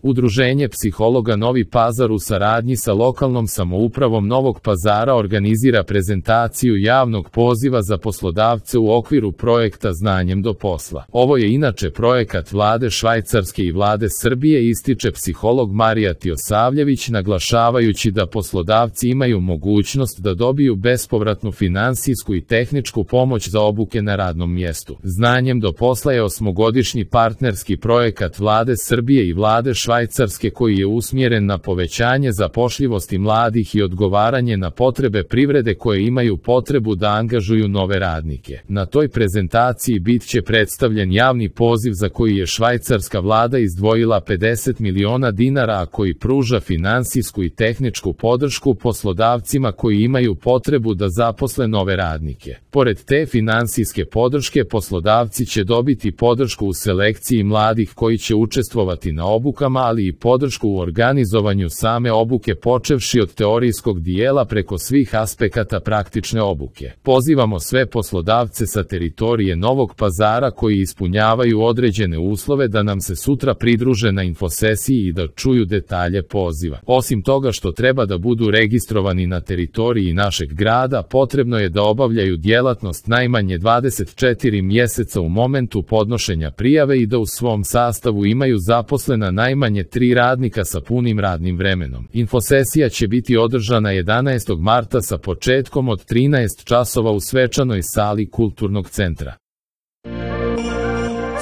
Udruženje psihologa Novi Pazar u saradnji sa lokalnom samoupravom Novog Pazara organizira prezentaciju javnog poziva za poslodavce u okviru projekta Znanjem do posla. Ovo je inače projekat Vlade Švajcarske i Vlade Srbije, ističe psiholog Marija Tijosavljević, naglašavajući da poslodavci imaju mogućnost da dobiju bespovratnu finansijsku i tehničku pomoć za obuke na radnom mjestu. Znanjem do posla je 8-godišnji partnerski projekat Vlade Srbije i Vlade Švajcarske koji je usmjeren na povećanje zapošljivosti mladih i odgovaranje na potrebe privrede koje imaju potrebu da angažuju nove radnike. Na toj prezentaciji bit će predstavljen javni poziv za koji je švajcarska vlada izdvojila 50 miliona dinara, a koji pruža finansijsku i tehničku podršku poslodavcima koji imaju potrebu da zaposle nove radnike. Pored te finansijske podrške, poslodavci će dobiti podršku u selekciji mladih koji će učestvovati na obukama, ali i podršku u organizovanju same obuke, počevši od teorijskog dijela preko svih aspekata praktične obuke. Pozivamo sve poslodavce sa teritorije Novog Pazara koji ispunjavaju određene uslove da nam se sutra pridruže na infosesiji i da čuju detalje poziva. Osim toga što treba da budu registrovani na teritoriji našeg grada, potrebno je da obavljaju djelatnost najmanje 24 mjeseca u momentu podnošenja prijave i da u svom sastavu imaju zaposlena najmanje 3 radnika sa punim radnim vremenom. Infosesija će biti održana 11. marta sa početkom od 13 časova u svečanoj sali Kulturnog centra.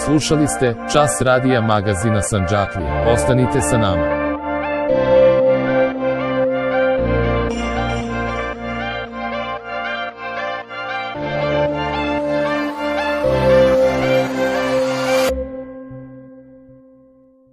Slušali ste Čas radija magazina Sandžaklije. Ostanite sa nama.